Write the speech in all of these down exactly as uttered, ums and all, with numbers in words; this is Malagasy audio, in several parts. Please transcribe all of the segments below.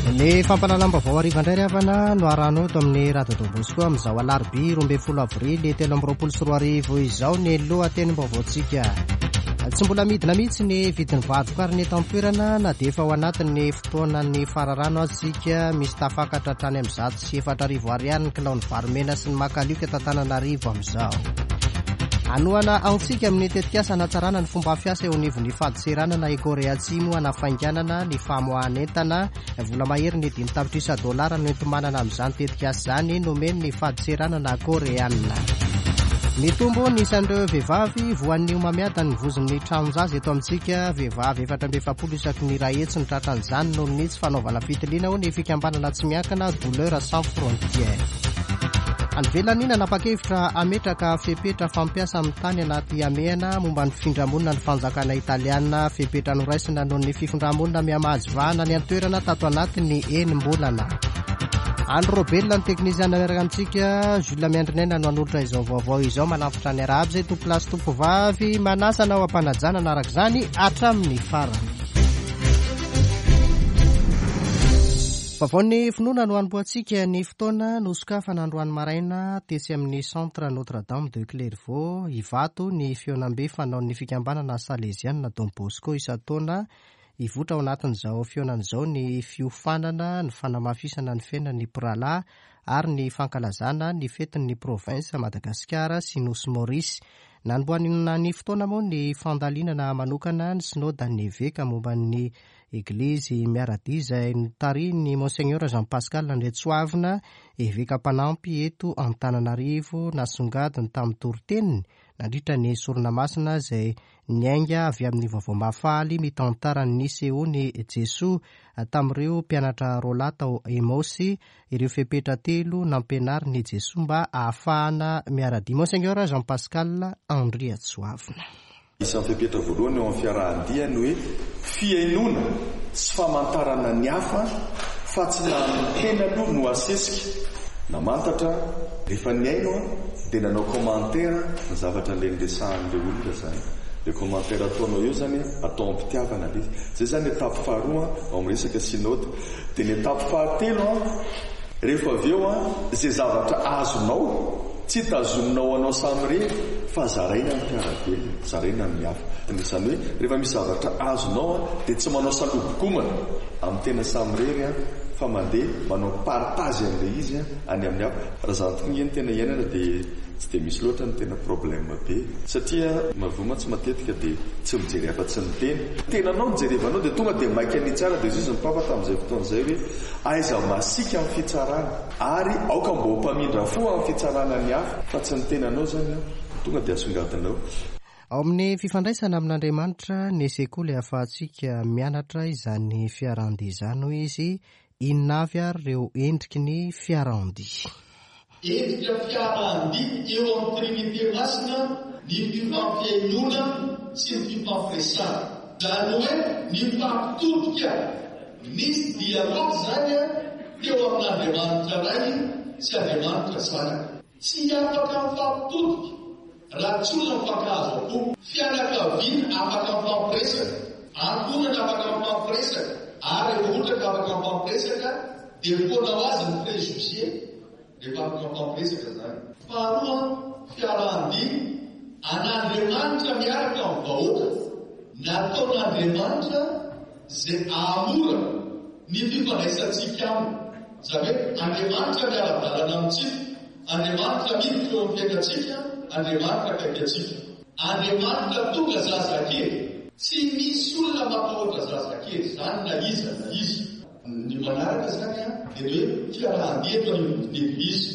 Ny fampahalalam-baovao hariva indray ry havana no arahanao eto amin'ny Radio Don Bosco amin'izao alarobia roa ambin'ny folo avrily telo amby roapolo sy roa arivo izao ny lohatenim-baovaontsika. Tsy mbola midina mihitsy ny vidin'ny vary vokarina eto an-toerana na dia efa ao anatin'ny fotoanan'ny fararano aza isika. Misy tafakatra hatrany amin'ny zato sy efatra arivo ariary ny kilaon'ny vary mena sy ny makalioka eto Antananarivo amin'izao. Hanohana antsika amin'ny tetikasa hanatsarana ny fomba fiasa eo anivon'ny fadintseranana i Korea Atsimo hanafainganana ny famoahan'entana. Vola mahery ny dimy tapitrisa dolara no enti-manana amin'izany tetikasa izany nomen'ny fadintseranana koreanina. Mitombo ny isan'ireo vehivavy voan'ny homamiadan'ny vozon'ny tranon-jaza eto amintsika. Vehivavy efatra amby efapolo isaky ny iray hetsy no tratran'izany noho ny tsy fanaovana fitiliana, hoy ny fikambanana tsy miankina Douleurs Sans Frontières. Any ivelany, nanapa-kevitra hametraka fepetra fampiasa amin'ny tany anaty hamehana momba ny fifindramonina ny fanjakana italiana. Fepetra noraisina noho ny fifindramonina mihamahazo vahana ny an-toerana tato anatin'ny enim-bolana. Andry Robelona ny teknisiana miaraka amintsika, Jules Miandrinaina no hanolotra izao vaovao izao. Manafitra ny arahaba izay tompolahy sy tompovavy, manasa anao am-panajana araka izany hatramin'ny farany. Vaovaon'ny finoana no hanombohantsika ny fotoana nosokafana androany maraina tetsy amin'ny Centre Notre Dame de Clairvaux Ivato ny fihaonambe fanaon'ny fikambanana Salesiana Don Bosco isan-taona. Hivoitra ao anatin'izao fihaonana izao ny fiofanana, ny fanamafisana ny fiainan'ny mpirahalahy ary ny fankalazana ny fetin'ny province Madagasikara sy Nosy Maurice. Nanombohanina ny fotoana moa ny fandalinana manokana ny synodan'ny eveka momba ny Eglizy miara-dia izay notarihin'ny Monseigneur Jean Pascal Andriatsoavina, eveka mpanampy eto Antananarivo, nasongadiny tamin'ny toriteniny nandritra ny sorona masina izay niainga avy amin'ny vaovao mahafaly mitantara ny nisehoan'i Jesoa tamin'ireo mpianatra roalahy tao Emaosy, ireo fepetra telo nampianarin'i Jesoa mba ahafahana miara-dia. Monseigneur Jean Pascal Andriatsoavina. Isan'ny fepetra voalohany eo amin'ny fiarahan-dia ny hoe fihainoana sy famantarana ny hafa fa tsy na ny tena aloha no asesika. Namantatra rehefa nihaino dia nanao commentaire ny zavatra ilay niresahan'ilay olona izany. Ilay commentaire ataonao eo izany atao am-pitiavana ilay izy. Izay izany ny étape faharoa ao amin'ny resaka synode. Dia ny étape fahatelo rehefa avy eo izay zavatra azonao tsy tazominao anao samirery fa zaraina amin'ny mpiara-belona, zaraina amin'ny hafa. Izany hoe rehefa misy zavatra azonao dia tsy manao salobokomana amin'ny tena samirery fa mandeha manao partage an'ilay izy any amin'ny hafa. Raha izany tokoa nge ny tena iainana dia tsy dia misy loatra ny tena problème be. Satria mahavoa mantsy matetika dia tsy mijery afa-tsy ny tena. Tenanao no jerevanao dia tonga dia maika ny hitsara dia izy ny papa tamin'izay fotoana izay hoe aiza masiaka amin'ny fitsarana ary aoka mba ho mpamindra fo amin'ny fitsarana ny hafa fa tsy ny tenanao izany tonga dia asongadinao. Ao amin'ny fifandraisana amin'Andriamanitra ny sekoly ahafahantsika mianatra izany fiarahan-dia izany, hoy izy. Inona avy ary ireo endriky ny fiarahan-dia? Endrika fiarahan-dia eo amin'ny Trinite Masina ny fifampihainoana sy ny fifampiresahana. Izany hoe nifampitodika, nisy dialogue izany teo amin'Andriamanitra Ray sy Andriamanitra Zanaka. Tsy afaka mifampitodika raha tsy olona mifankahazo am-po. Fianakaviana afaka mifampiresaka, ankohonana afaka mifampiresaka, ary rehefa ohatra ka afaka mifampiresaka dia foana ho azy ny préjugé rehefa afaka mifampiresaka izany. Faharoa, fiarahan-dia an'Andriamanitra miaraka amin'ny vahoaka. Nataon'Andriamanitra izay hahamora ny fifandraisantsika aminy. Izany hoe Andriamanitra miara-dalana amintsika, Andriamanitra miditra eo amin'ny fiainantsika, Andriamanitra akaiky antsika. Andriamanitra tonga zazakely. Tsy misy olona mampahoatra zazakely izany na iza na iza. Ny manaraka izany dia ny hoe fiarahan-dia eto anivon'ny Eglizy.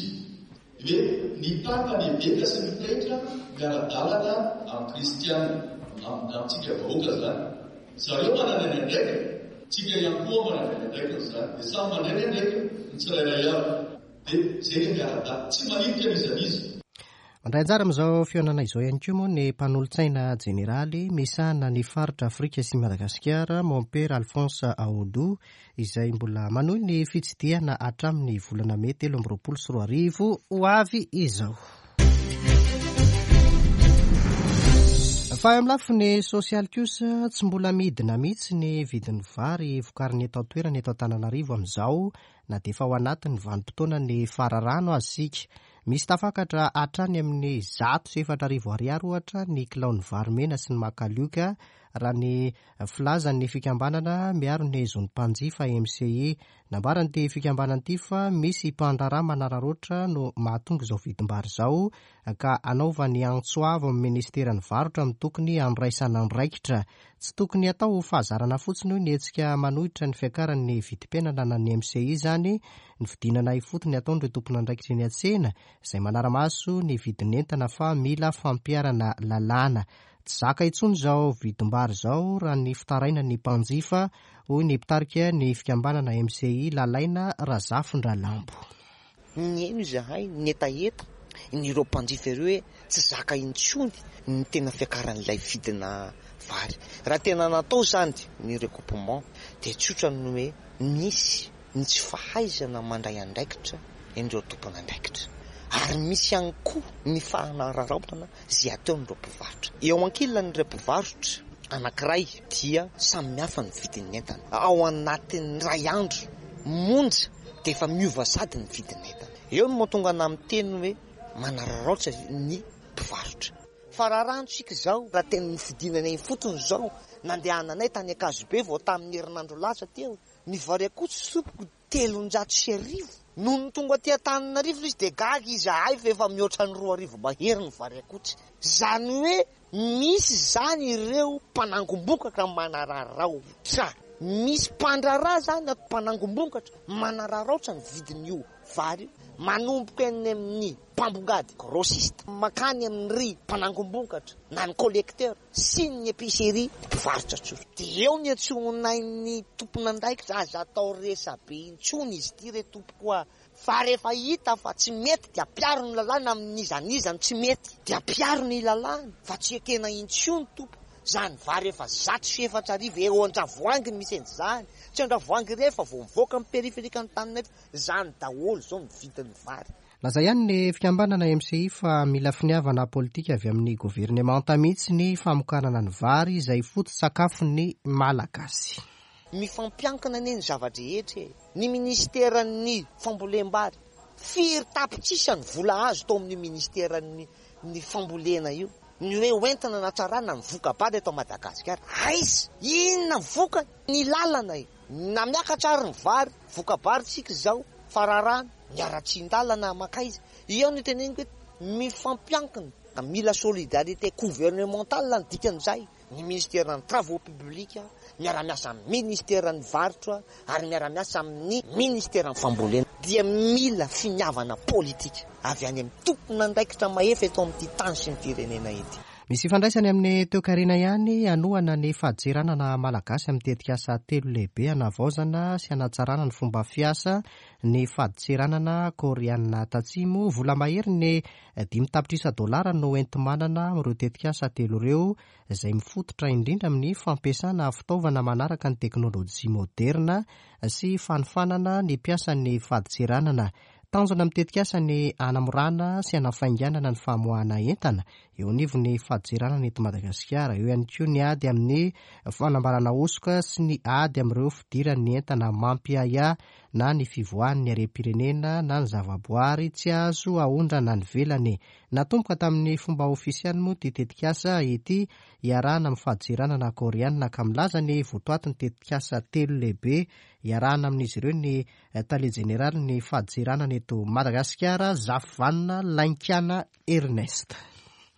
Ny hoe ny Papa, ny eveka sy ny pretra miara-dalana amin'ny kristiana, amintsika vahoaka izany. Zareo manana ny andraikiny, tsika ihany koa manana ny andraikiny izany. Dia samy mandray ny andraikiny ny tsirairay avy. Dia izay ilay miara-dalana. Tsy manilika n'iza n'iza. Mandray anjara amin'izao fihaonana izao ihany koa moa ny mpanolotsaina jeneraly misahana ny faritra Afrika sy Madagasikara, Mompera Alphonse Aodo, izay mbola manohy ny fitsidihana hatramin'ny volana mey telo amby roapolo sy roa arivo ho avy izao. Fa eo amin'ny lafiny sosialy kosa, tsy mbola midina mihitsy ny vidin'ny vary vokarin'ny eto an-toerana eto Antananarivo amin'izao, na dia efa ao anatin'ny vanim-potoana ny fararano aza isika. Misy tafakatra hatrany amin'ny zato sy efatra arivo ariary ohatra ny kilaon'ny vary mena sy ny makalioka, raha ny filazan'ny fikambanana miaro ny zon'ny mpanjifa M C I. Nambaran'ity fikambanana ity fa misy mpandraharaha manararaotra no mahatonga izao vidim-bary izao, ka anaovany antso avo amin'ny ministeran'ny varotra amin'ny tokony handraisana andraikitra. Tsy tokony atao fahazarana fotsiny, hoy ny hetsika manohitra ny fiakaran'ny vidim-piainana na ny M C I izany, ny fidinana ifotony ataon'ireo tompon'andraikitra eny an-tsena izay manara-maso ny vidin'entana, fa mila fampiharana lalàna. Tsy zaka intsony izao vidim-bary izao, raha ny fitarainan'ny mpanjifa, hoy ny mpitarika ny fikambanana M C I, Lalaina Razafindralambo. Nihaino izahay ny hetaheta ny ireo mpanjifa ireo hoe tsy zaka intsony ny tena fiakaran'ilay vidina vary. Raha tena natao zany ny recoupement dia tsotra ny hoe misy ny tsy fahaizana mandray andraikitra indreo tompon'andraikitra, ary misy ihany koa ny fanararaotana izay ataon'ireo mpivarotra. Eo ankilan'ireo mpivarotra anankiray dia samy hafa ny vidin'ny entana. Ao anatin'ny ray andro monja dia efa miova sady ny vidin'ny entana. Eo no mahatonga ana amin'ny teny hoe manararaotra ny mpivarotra. Fa raha ranotsika izao, raha tena ny fidinana eny fotony izao, nandehananay tany Ankazobe vao tamin'ny herinandro lasa teo, ny vary akoho tompoko telonjato sy arivo. Noho ny tonga aty Antananarivo izy dia gaga izahay fa efa mihoatra ny roa arivo mahery ny vary akotsy. Zany hoe misy zany ireo mpanangom-bokatra manararaotra, misy mpandraharaha zany mpanangom-bokatra manararaotra ny vidin'io vary io, manomboka eny amin'ny mpambongady, grossiste, makany amin'ny mpanangom-bokatra na ny collecteur sy ny épicerie, mpivarotra tsotra. Dia eo ny antsoinay ny tompon'andraikitra: aza atao resabe intsony izy ity re tompoko, fa rehefa hita fa tsy mety dia ampiaro ny lalàna. Amin'iza n'iza no tsy mety dia ampiaro ny lalàna, fa tsy ekena intsony tompo zany vary efa zato sy efatra arivo eo Andravoahangy ny misy an'izany. Tsy Andravoahangy rehefa vao mivoaka amin'ny périphérique Antananarivo zany daholo zao ny vidin'ny vary. Laza ihany ny fikambanana M C I fa mila finiavana politika avy amin'ny governemanta mihitsy ny famokarana ny vary izay foto-tsakafon'ny Malagasy. Mifampiankina anie ny zava-drehetra e. Ny ministeran'ny fambolem-bary, firy tapitrisa ny vola azo tao amin'ny ministeran'ny ny fambolena io, ny hoe hoentina hanatsarana ny voka-bary eto Madagasikara? Aiza? Inona vokany? Ny lalana e, na miakatra ary ny vary, voka-bary tsika izao, fararano ny aratsian-dalana makaiza eo no teneniko hoe mifampiankina. Mila solidarité gouvernementale ny dikan'izay: ny ministeran'ny travaux publics miara-miasa amin'ny ministeran'ny varotra ary miara-miasa amin'ny ministeran'ny fambolena. Dia mila finiavana politika avy any amin'ny tompon'andraikitra mahefa eto amin'ity tany sy ny firenena ity. Misy ifandraisany amin'ny toekarena ihany. Anohana ny fadintseranana malagasy amin'ny tetikasa telo lehibe anavaozana sy anatsarana ny fomba fiasa ny fadintseranana Koreana Tatsimo. Vola mahery ny dimy tapitrisa dolara no enti-manana ireo tetikasa telo ireo, izay mifototra indrindra amin'ny fampiasana fitaovana manaraka ny teknôlôjia moderna sy fanofanana ny mpiasan'ny fadintseranana. Tanjona amin'ny tetikasa ny anamorana sy anafainganana ny famoahana entana eo anivon'ny fadintseranana eto Madagasikara. Eo ihany koa ny ady amin'ny fanambarana hosoka sy ny ady amin'ireo fidiran'ny entana mampiahiahy na ny fivoahan'ny harem-pirenena na ny zavaboary tsy azo aondrana any ivelany. Natomboka tamin'ny fomba ofisialy moa ty tetikasa ity iarahana amin'ny fadintseranana koreana, ka milaza ny votoatin'ny tetikasa telo lehibe iarahana amin'izy ireo ny tale jeneraly ny fadintseranana eto Madagasikara, Zafivanona Lainkana Ernest.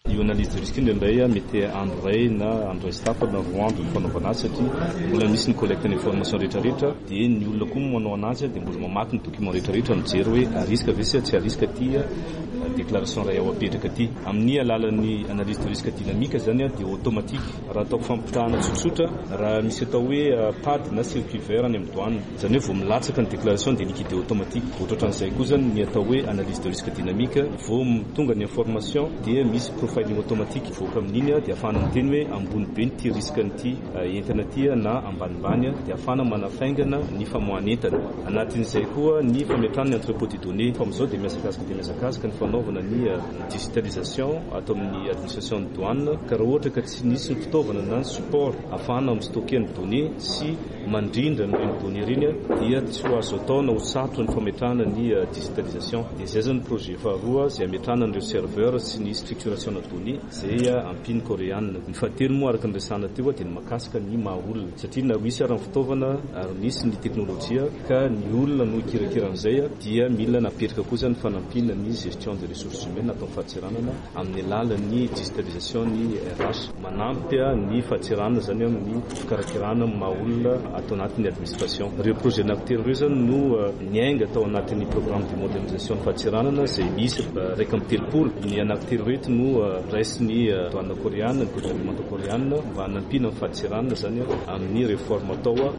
Io analyse de risque indraindray a mety andro ray na andro ray sy tapany na roa andro ny fanaovana azy, satria mbola misy ny collecte ny information rehetrarehetra, dia ny olona koa manao anazy dia mbola mamaky ny document rehetrarehetra, mijery hoe à risque ve sa tsy à risque ty déclaration ray ao apetraka aty. Amin'ny alalan'ny analyse de risque dynamique zany a dia automatique. Raha ataoko fampitahana tsotsotra, raha misy atao hoe P A D na circuit vert any amin'ny douane zany, hoe vao milatsaka ny déclaration dia liquidé automatique. Ohatrohatran'izay koa zany ny atao hoe analyse de risque dynamique: vao tonga ny information dia misy profondeur. profiling automatique voaka amin'iny dia ahafahana miteny hoe ambony be ity risque an'ity entana ity na ambanimbany, dia ahafahana manafaingana ny famoahana entana. Anatin'izay koa ny fametrahana ny entrepôt de données. Fa amin'izao dia mihazakazaka dia mihazakazaka ny fanaovana ny digitalisation atao amin'ny administration ny douane, ka raha ohatra ka tsy nisy ny fitaovana na ny support ahafahana mi-stocker ny données sy mandrindra an'ireny données ireny dia tsy ho azo atao na ho sarotra ny fametrahana ny digitalisation. Dia izay zany projet faharoa izay ametrahana an'ireo serveur sy ny structuration na données izay ampian'ny koreana. Ny fahatelo moa araka ny resahana teo dia ny mahakasika ny maha olona, satria na misy ary ny fitaovana ary misy ny teknolojia ka ny olona no hikirakira an'izay dia mila napetraka kosa ny fanampiana ny gestion des ressources humaines atao fadintseranana amin'ny alalan'ny digitalisation ny R H, manampy ny fadintseranana zany amin'ny fikarakirana maha olona atao anatin'ny administration. Ireo projet anankitelo ireo zany no niainga tao anatin'ny programme de modernisation ny fadintseranana izay misy raika amby telopolo. Ny anankitelo reto no raisin'ny douane koreana, ny gouvernement koreana mba hanampiana ny fadintseranana zany amin'ny réforme atao.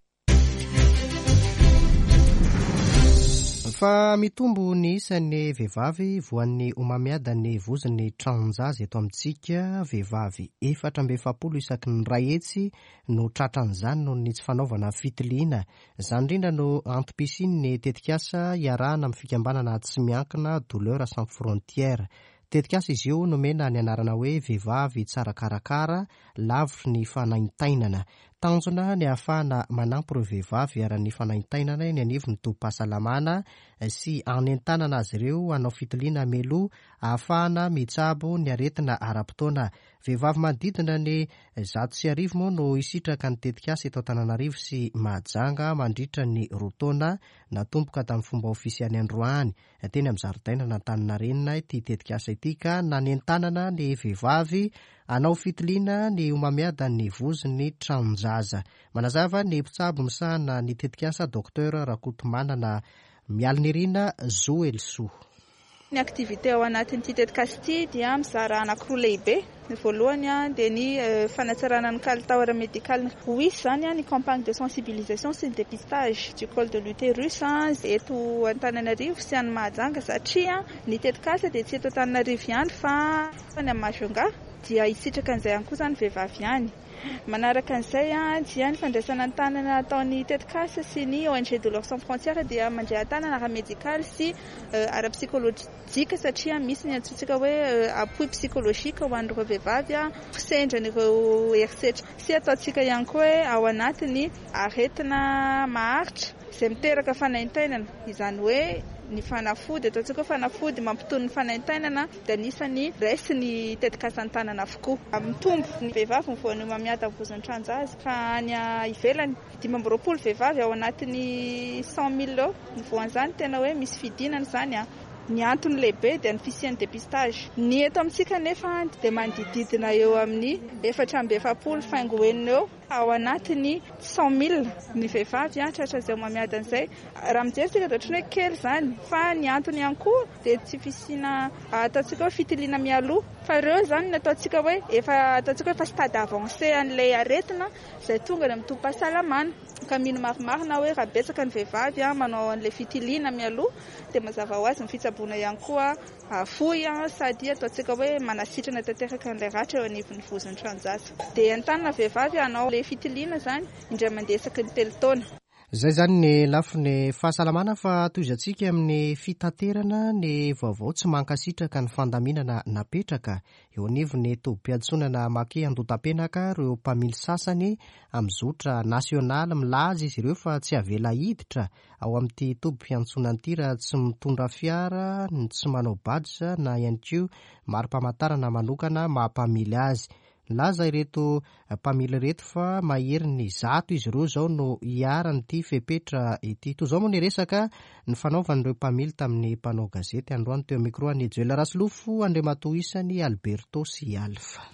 Fa mitombo ny isan'ny vehivavy voan'ny homamiadan'ny vozon'ny tranon-jaza eto amintsika. Vehivavy efatra amby efapolo isaky ny ray hetsy no tratran'izany noho ny tsy fanaovana fitiliana. Izany indrindra no antom-pisian'ny tetikasa iarahana amin'ny fikambanana tsy miankina Douleur Sans Frontières. Tetikasa izy io nomena ny anarana hoe Vehivavy Tsara Karakara Lavitry ny Fanaintainana. Tanjona ny ahafahana manampy ireo vehivavy iharan'ny fanaintainana eny anivon'ny tobim-pahasalamana sy anentanana azy ireo hanao fitiliana mialoha ahafahana mitsabo ny aretina ara-potoana. Vehivavy manodidina ny zato sy arivo moa no hisitraka ny tetikasa eto Antananarivo sy Mahajanga mandritra ny roa taona. Natomboka tamin'ny fomba ofisialy androany teny amin'ny zaridaina Antaninarenina ity tetikasa ity ka nanentanana ny vehivavy hanao fitiliana ny homamiadan'ny vozon'ny tranon-jaza. Manazava ny mpitsabo misahana ny tetikasa, Docteur Rakotomanana Mialinirina Zoelsoa. Ny activité ao anatin'ity tetikasa ity dia mizara anankiroa lehibe. Ny voalohany a dia ny fanatsarana ny kalitao ara-medikaly. Ho hisy zany a ny campagne de sensibilisation sy ny dépistage du col de l'utérus eto Antananarivo sy any Mahajanga, satria ny tetikasa dia tsy eto Antananarivo ihany fa any amin'ny Majunga, dia hisitraka an'izay ihany koa zany vehivavy ihany. Manaraka an'izay a dia ny fandraisana an-tanana ataon'ny tetikasa sy ny O N G Douleurs Sans Frontières dia mandray an-tanana ara-medikaly sy ara-psykolojika, satria misy ny antsointsika hoe appui psychologique ho an'ireo vehivavy a sendran'ireo herisetra sy ataontsika ihany koa hoe ao anatin'ny aretina maharitra izay miteraka fanaintainana. Izany hoe ny fanafody ataontsika hoe fanafody mampitony ny fanaintainana dia anisany raisin'ny tetikasa an-tanana avokoa. Mitombo ny vehivavy mivoan'ny homamiadan'ny vozon'ny tranon-jaza, fa any ivelany dimy amby roapolo vehivavy ao anatin'ny cent mille eo ny voan'izany. Tena hoe misy fidinana izany a ny antony lehibe dia ny fisian'ny dépistage. Ny eto amintsika nefa dia manodididina eo amin'ny efatra amby efapolo faingo enina eo ao anatin'ny cent mille ny vehivavy a tratra izay homamiadan'izay. Raha mijery tsika dia ohatrany hoe kely izany, fa ny antony ihany koa dia tsy fisiana ataontsika hoe fitiliana mialoha, fa ireo zany ny ataontsika hoe efa ataontsika hoe efa stade avancé an'ilay aretina izay tonga any amin'ny tobim-pahasalamana, ka mino marimarina hoe raha betsaka ny vehivavy a manao an'ilay fitiliana mialoha dia mazava ho azy ny fitsaboana ihany koa fohy a sady ataontsika hoe manasitrana tanteraka an'ilay ratra eo anivon'ny vozon'ny tranon-jaza. Dia entanina vehivavy hanao ilay fitiliana zany indray mandeha isaky ny telo taona. Zay zany ny lafiny fahasalamana, fa tohizantsika amin'ny fitaterana ny vaovao. Tsy mankasitraka ny fandaminana napetraka eo anivon'ny tobim-piantsonana Maki Andohatapenaka ireo mpamily sasany amin'ny zotra nasionaly. Milaza izy ireo fa tsy avela hiditra ao amin'ity tobim-piantsonana ity raha tsy mitondra fiara, ny tsy manao badge na ihany koa mari-pamantarana manokana maha-mpamily azy. Laza ireto mpamily ireto fa mahery ny zato izy ireo zao no iharan'ity fepetra ity. Toy izao moa ny resaka ny fanaovan'ireo mpamily tamin'ny mpanao gazety androany teo micro any Joel Rasolofo Andriamatoa isany Alberto sy Alfa.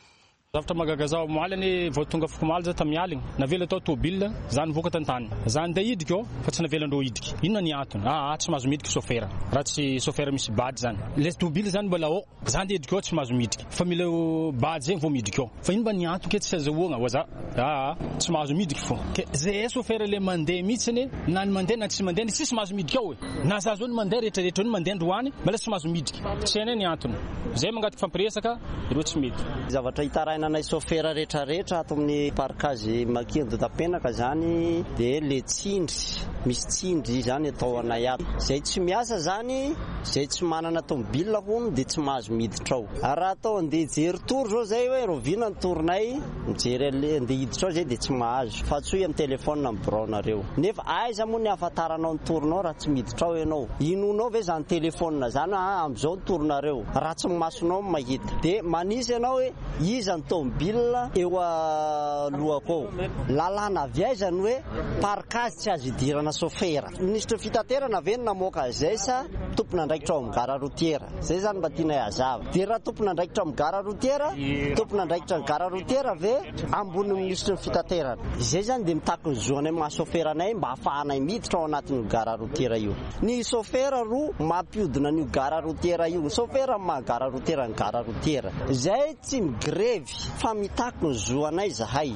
Zavatra mahagaga zaho omaly anie vao tonga afak'omaly za tamin'ny aligny, navela tao tôbila, za nivoaka tantany. Za andeha hidriky ao fa tsy navelandreo hidriky. Inona ny antony? Aa tsy mahazo midriky sôfera raha tsy sôfera misy badge zany. Le tôbila zany mbola ao, za andeha hidriky ao tsy mahazo midriky fa mila badge zegny vao midriky ao. Fa ino mba ny antony ke tsy azahoagna hoy za? Aa tsy mahazo midriky fô. Ke zay sôfera le mandeha mihitsy anie na ny mandeha na tsy mandeha tsisy mahazo midriky ao e. Na za zao ny mandeha rehetrarehetra ny mandeha androany mbola tsy mahazo midriky. Tsy hainay ny antony. Zay mangataka fampiresaka ireo tsy mety. Zavatra hitarainanay sôfera rehetrarehetra ato amin'ny parkage Maki Andohatapenaka zany dia le tsindry, misy tsindry zany atao anay ato. Zay tsy miasa zany, zay tsy manana tômôbila hono dia tsy mahazo miditra ao. Ary raha atao andeha hijery tour zao zay hoe roviana ny tournay, mijery an'le andeha hiditra ao zay dia tsy mahazo. Fa antsoy amin'ny telefôna amin'ny biraonareo. Nefa aiza moa ny ahafantaranao ny tournao raha tsy miditra ao ianao? Inoanao ve zany telefôna zany ah amin'izao ny tournareo? Raha tsy masonao no mahita. Dia manisy ianao hoe iza ny tômôbila eo alohako ao. Lalàna avy aiza ny hoe parkage tsy azo idirana sôfera? Minisitry ny fitaterana ve no namoaka izay sa tompon'andraikitra ao amin'ny gara routière? Zay zany mba tianay hazava. Dia raha tompon'andraikitra amin'ny gara routière, tompon'andraikitra ny gara routière ve ambonin'ny minisitry ny fitaterana? Izay zany dia mitaky ny zo anay maha sôfera anay mba ahafahanay miditra ao anatin'io gara routière io. Ny sôfera ro mampiodina an'io gara routière io. Ny sôfera maha gara routière ny gara routière. Zay tsy migrevy fa mitaky ny zo anay zahay.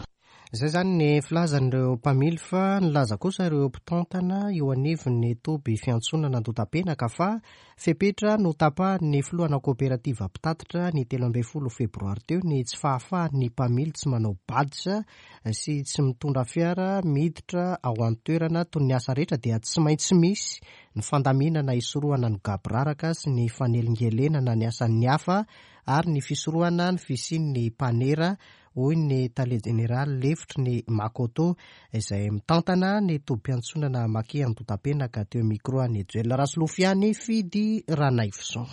Zay zany ny filazan'ireo mpamily, fa nilaza kosa ireo mpitantana eo anivon'ny toby fiantsonana Andohatapenaka fa fepetra no tapahan'ny filohana kooperativa mpitatitra ny telo ambin'ny folo febroary teo ny tsy fahafahan'ny mpamily tsy manao badge sy tsy mitondra fiara miditra ao an-toerana. Toy ny asa rehetra dia tsy maintsy misy ny fandaminana hisorohana ny gaboraraka sy ny fanelingelenana ny asan'ny hafa ary ny fisorohana ny fisian'ny mpanera, hoy ny tale jeneraly lefitry ny Makoto izay mitantana ny tobim-piantsonana Maki Andohatapenaka teo micro any Joel Rasolofiany Fidy Ranaivoson.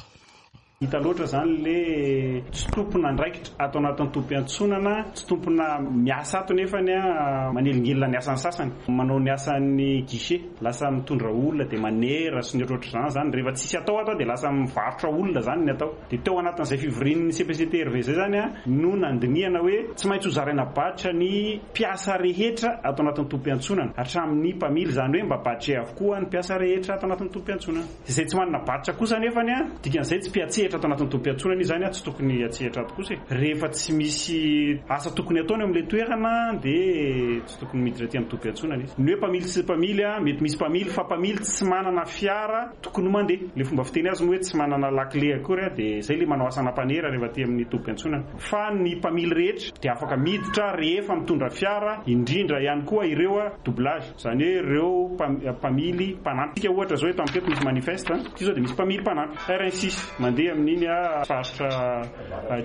Hita loatra zany le tsy tompon'andraikitra ato anatin'ny tobim-piantsonana, tsy tompona miasa ato nefany a manelingelina ny asan'ny sasany, manao ny asan'ny guichet, lasa mitondra olona dia manera sy ny ohatrohatr'izany zany. Rehefa tsisy atao ato dia lasa mivarotra olona zany ny atao. Dia teo anatin'izay fivorian'ny C P C T R V zay zany a no nandinihana hoe tsy maintsy ho zaraina badge ny mpiasa rehetra ato anatin'ny tobim-piantsonana, hatramin'ny mpamily, zany hoe mba badge avokoa ny mpiasa rehetra ato anatin'ny tobim-piantsonana. Izay tsy manana badge kosa nefany a dikan'izay tsy mpiatsehatra ato anatin'ny tobim-piantsonana izy zany a tsy tokony atsehatra ato kosa e. Rehefa tsy misy asa tokony ataony eo amin'ilay toerana dia tsy tokony miditra aty amin'ny tobim-piantsonana izy. Ny hoe mpamily sy mpamily a mety misy mpamily fa mpamily tsy manana fiara tokony mandeha. Le fomba fiteny azy moa hoe tsy manana lakile akory a dia zay le manao asana mpanera rehefa aty amin'ny tobim-piantsonana. Fa ny mpamily rehetra dia afaka miditra rehefa mitondra fiara, indrindra ihany koa ireo a doublage, zany hoe ireo mpamily mpanampy. Tsika ohatra zao eto amin'ny teto misy manifeste, ity zao dia misy mpamily mpanampy R un six mandeha amin'iny a faritra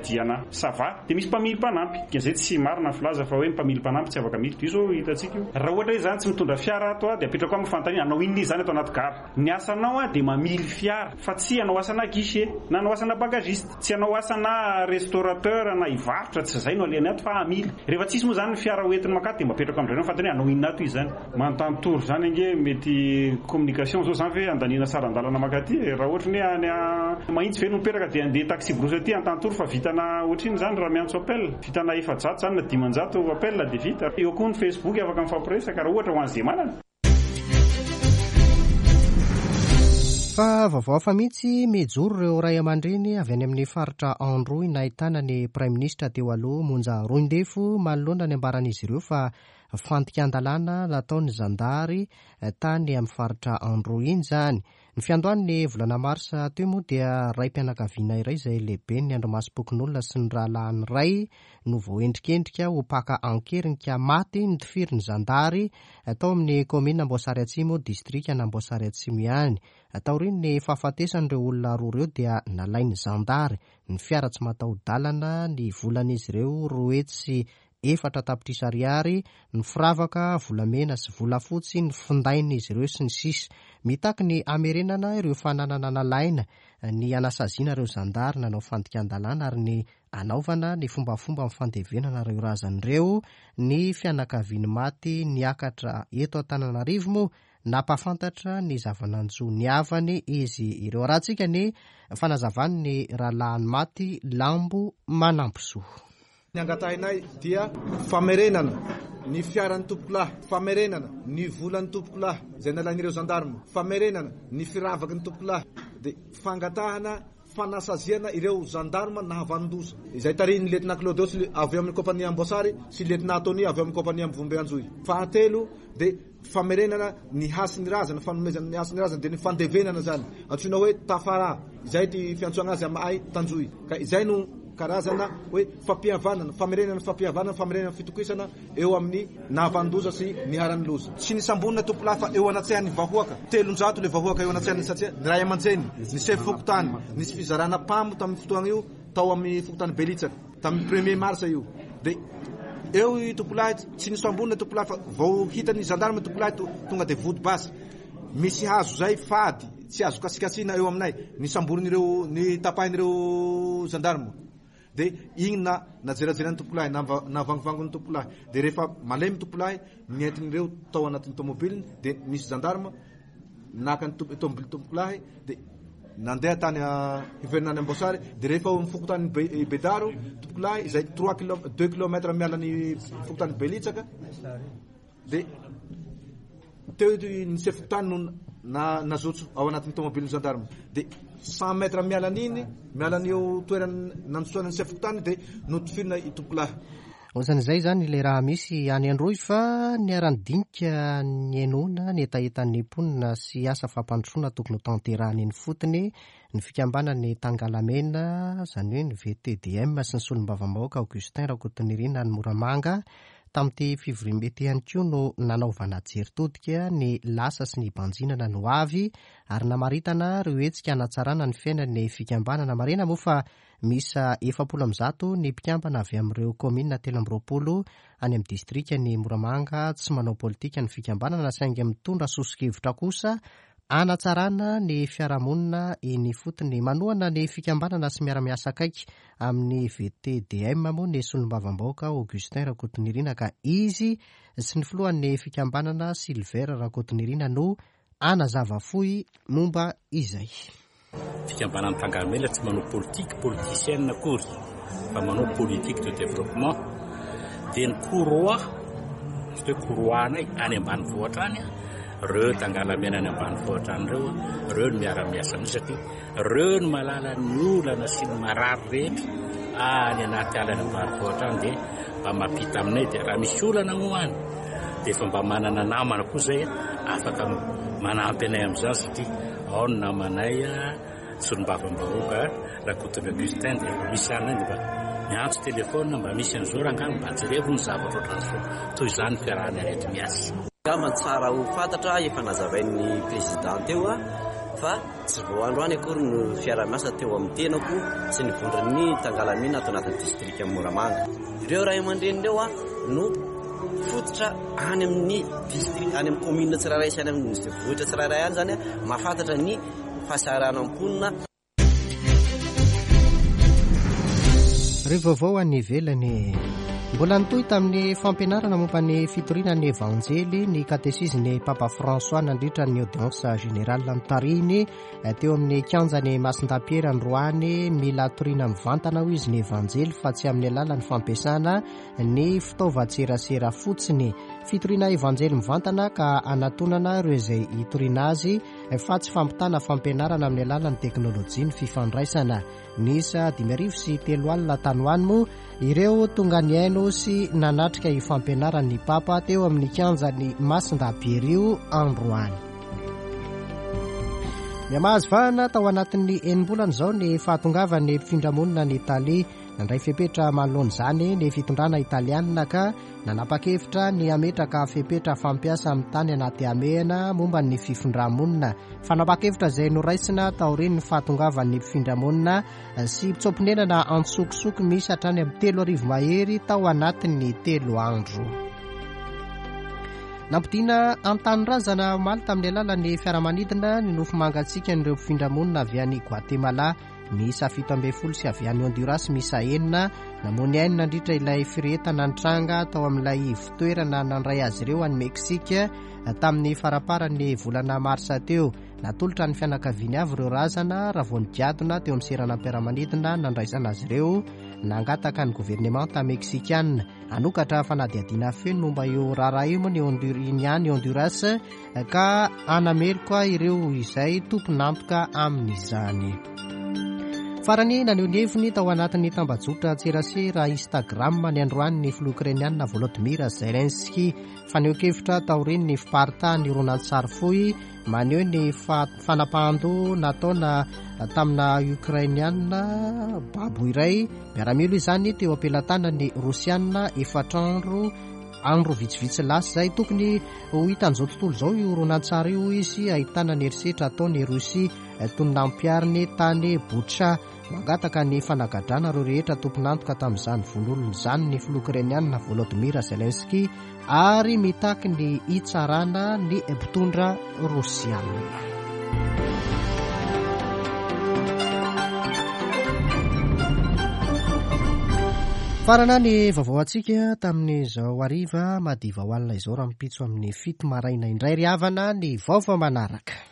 Diana, ça va, dia misy mpamily mpanampy. Dikan'izay tsy marina ny filaza fa hoe mpamily mpanampy tsy afaka miditra. Io zao hitantsika io. Raha ohatra hoe zany tsy mitondra fiara ato a dia apetrako amin'ny fanontaniana hanao inona izy zany ato anaty gara. Ny asanao a dia mamily fiara fa tsy hanao asana guichet na hanao asana bagagiste, tsy hanao asana restaurateur na hivarotra, tsy zay no alehany ato fa hamily. Rehefa tsisy moa zany ny fiara hoentiny makato dia mba apetrako amin'izay ny fanontaniana hanao inona ato izy zany. Manontany toro zany ange mety communication zao zany ve andaniana saran-dalana makaty. Raha ohatra ny hoe any a Mahitsy ve no mipetraka dia andeha taxi brousse aty Antantory fa vitana ohatr'iny zany raha miantso appel, vitana efajato zany na dimanjato appel dia vita. Eo koa ny Facebook afaka mifampiresaka raha ohatra ho an'izay manana. Fa vaovao hafa mihitsy, mijoro ireo ray aman-dreny avy any amin'ny faritra Androy nahitana ny praiminisitra teo aloha Monja Roindefo manoloana ny ambaran'izy ireo fa fandikan-dalàna nataon'ny zandary tany amin'ny faritra Androy iny zany. Ny fiandohan'ny volana marsa teo moa dia ray-pianakaviana iray izay lehibe ny andrimasom-pokonolona sy ny rahalahiny iray no voaendrikendrika ho mpaka an-keriny ka maty nitifiry ny zandary tao amin'ny kaominina Amboasary Atsimo, distrikan'Amboasary Atsimo ihany. Taorian'ny fahafatesan'ireo olona roa ireo dia nalain'ny zandary ny fiara tsy mataho-dalana, ny volan'izy ireo roa hetsy efatra tapitrisa ariary, ny firavaka volamena sy volafotsy, ny findain'izy ireo sy ny sisa. Mitaky ny hamerenana ireo fananana nalaina, ny anasaziana ireo zandary nanao fandikan-dalàna ary ny anaovana ny fombafomba amin'ny fandevenana ireo razana ireo. Ny fianakaviany maty niakatra eto Antananarivo moa nampahafantatra ny zava-nanjo ny havany izy ireo. Arahantsika ny fanazavan'ny rahalahiny maty Lambo Manampisoa. Ny angatahinay dia famerenana ny fiaran'ny tompokolahy, famerenana ny volan'ny tompokolahy izay nalain'ireo zandarma, famerenana ny firavaky ny tompokolahy, dia fangatahana fanasaziana ireo zandarma nahavanon-doza izay tarihin'ny lieutenant Claudios avy eo amin'ny kompania Amboasary sy lieutenant Tony avy eo amin'ny kompania Ambovombe Anjohy. Fahatelo dia famerenana ny hasin'ny razana, fanomezana ny hasin'ny razana dia ny fandevenana zany, antsoina hoe tafara, izay ty fiantsoana azy aminay Tanjohy. Ka izay no karazana hoe fampihavanana, famerenana fampihavanana, famerenana fitokisana eo amin'ny nahavanon-doza sy niharan'ny loza. Tsy nisambonina tompolahy fa eo anatrehan'ny vahoaka, telonjato le vahoaka eo anatrehan'ny, satria ny ray aman-dreny, ny sefo fokontany, nisy fizarana pamo tamin'ny fotoana io tao amin'ny fokontany Belitsaka tamin'ny premier mars io. Dia eo i tompolahy tsy nisambonina tompolahy fa vao hitan'ny zandarma tompolahy tonga dia vody basy. Misy hazo zay fady tsy azo kasikasina eo aminay, nisamborin'ireo, ny tapahin'ireo zandarma. Dia igny na najerajeran'ny tompolahy, navangivangon'ny tompolahy. Dia rehefa malemy tompolahy, nentin'ireo tao anatin'ny tomobiliny, dia nisy zandarma naka ny tomobily tompolahy, dia nandeha tany hiverina any Amboasary. Dia rehefa ao amin'ny fokontany Bedaro tompolahy izay trois kilomètres, deux kilomètres miala ny fokontany Belitsaka, dia teo ny sefo fokontany no na nazotso ao anatin'ny tomobilin'ny zandarma. Dia cent mètres miala an'iny, miala an'io toerana nandotsoana ny sefo fokontany, dia notifirina i tompolahy. Ohatran'izay izany ilay raha misy any Androy, fa niara-nidinika ny henoana ny hetahetan'ny mponina sy asa fampandrosoana tokony ho tanterahana eny fotony ny fikambanan'ny Tangalamena, izany hoe ny V T D M sy ny solombavambahoaka Augustin Rakotonirina any Moramanga. Tamin'ity fivoriambe ity ihany koa no nanaovana jery todika ny lasa sy ny banjinana no avy ary namaritana ireo hetsika hanatsarana ny fiainan'ny fikambanana. Marihina moa fa miisa efapolo amby zato ny mpikambana avy amin'ireo kaominina telo amby roapolo any amin'ny distrikan'i Moramanga. Tsy manao politika ny fikambanana saingy mitondra soso-kevitra kosa hanatsarana ny fiarahamonina eny ifotony. Manohana ny fikambanana sy miara-miasa akaiky amin'ny V T D M moa ny solombavambahoaka Augustin Rakotonirina, ka izy sy ny filohan'ny fikambanana Silver Rakotonirina no hanazava fohy momba izay. Fikambanana Tangalamena tsy manao politique politicienne akory fa manao politique de développement. Dia ny courroie, tsy hoe courroie anay any ambanivohitra any, reo Tangalamena any ambanivohitra any reo, reo no miara-miasa amin'izay satria reo no mahalala ny olana sy ny marary rehetra any anaty ala any ambanivohitra any, dia mba mampita aminay. Dia raha misy olana moa any dia efa mba manana namana koa zay afaka manampy anay amin'izany, satria ao ny namanay solombavambahoaka Rakotonirina Augustin, dia efa misy any dia mba miantso telefona mba misy an'izao rangahy mba jerevo ny zavatra ohatran'izao. Toy izany fiarahana reto miasa. Angamba tsara ho fantatra efa nazavain'ny président teo a, fa tsy vao androany akory no fiarahamiasa teo amin'ny tenako sy ny vondron'ny Tangalamena ato anatin'ny distrika Moramanga. Ireo ray aman-dreny ireo a no fototra any amin'ny district, any amin'ny commune tsirairay sy any amin'ny vohitra tsirairay any zany a, mahafantatra ny fahasahiranan'ny mponina. Ry vaovao any ivelany. Mbola nitohy tamin'ny fampianarana momba ny fitoriana ny Evanjely ny katesizin'ny Papa François nandritra ny audience générale notarihiny teo amin'ny kianjan'ny Masindahy-Piera androany. Mila toriana mivantana hoy izy ny Evanjely fa tsy amin'ny alalan'ny fampiasana ny fitaovan-tserasera fotsiny. Fitoriana Evanjely mivantana ka anatonana ireo izay hitoriana azy fa tsy fampitana fampianarana amin'ny alalan'ny teknôlôjia ny fifandraisana. Niisa dimy arivo sy telo alina tany ho any moa ireo tonga nihaino sy nanatrika io fampianaran'ny Papa teo amin'ny kianjan'ny Masindahy-Piera io androany. Mihamahazo vahana tao anatin'ny enim-bolana izao ny fahatongavan'ny mpifindramonina any Italia. Nandray fepetra manoloana izany ny fitondrana italianina ka nanapa-kevitra ny hametraka fepetra fampiasa amin'ny tany anaty hamehana momba ny fifindramonina. Fanapa-kevitra izay noraisina taorian'ny fahatongavan'ny mpifindramonina sy mpitsoa-ponenana antsokosoko misy hatrany amin'ny telo arivo mahery tao anatin'ny telo andro. Nampodiana an-tanindrazana omaly tamin'ny alalan'ny fiaramanidina ny nofo mangatsiakan'ireo mpifindramonina avy any Guatemala miisa fito ambin'ny folo sy avy any Honduras miisa enina. Namoy ny ainy nandritra ilay firehetana nitranga tao amin'ilay ivon-toerana nandray azy ireo any Meksika tamin'ny faramparan'ny volana marsa teo. Natolotra ny fianakaviany avy ireo razana raha vao nigadona teo amin'ny seranam-piaramanidina nandraisana azy ireo Nangataka ny governemanta meksikanina hanokatra fanadihadiana feno momba io raharaha io moa ny Honduras, ny Honduras ka hanameloka ireo izay tompon'antoka amin'izany. Farany, naneho ny heviny tao anatin'ny tambajotra tserasera Instagram ny androany ny filoha ukrainianina Volodymyr Zelensky. Fanehoan-kevitra taorian'ny fiparitahan'ny horonantsary fohy maneho ny fanapahan-doha nataona tamina ukrainianina babo iray miaramila izany teo am-pelatanan'ny rosianina efatra andro andro vitsivitsy lasa izay. Tokony ho hitan'izao tontolo izao io horonantsary io izy, ahitana ny herisetra ataon'ny Rosia toy ny nampihariny tany Boutcha. Mangataka ny fanagadrana ireo rehetra tompon'antoka tamin'izany vono olona izany ny filoha ukrainianina Volodymyr Zelensky ary mitaky ny hitsarana ny mpitondra rosianina. Farana ny vaovao antsika tamin'izao hariva madiva ho alina izao, rahampitso amin'ny fito maraina indray ry havana ny vaovao manaraka.